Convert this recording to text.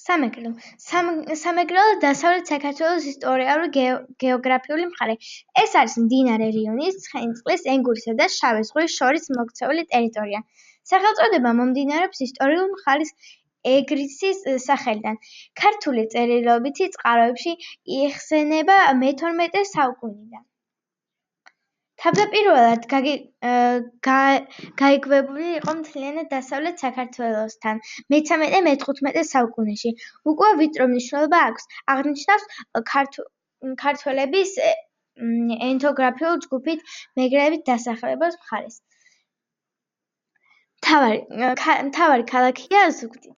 სამეგრელო. სამეგრელო დასავლეთ საქართველოს ისტორიულ-გეოგრაფიული მხარე. ეს არის მდინარე რიონის, ცხენისწყლის, ენგურისა და შავი ზღვის შორის მოქცეული ტერიტორია. სახელწოდება მომდინარეობს ისტორიული მხარის ეგრისის სახელიდან. ქართული წერილობითი წყაროებში იხსენიება მე-12 საუკუნიდან. თავდაპირველად გაიგივებული იყო მთლიანად დასავლეთ საქართველოსთან მე-13-მე-15 საუკუნეში. უკვე ვიწრო მნიშვნელობა აქვს. აღნიშნავს ქართველების ეთნოგრაფიული ჯგუფით მეგრელების დასახლების მხარეს. მთავარი ქალაქია ზუგდიდი.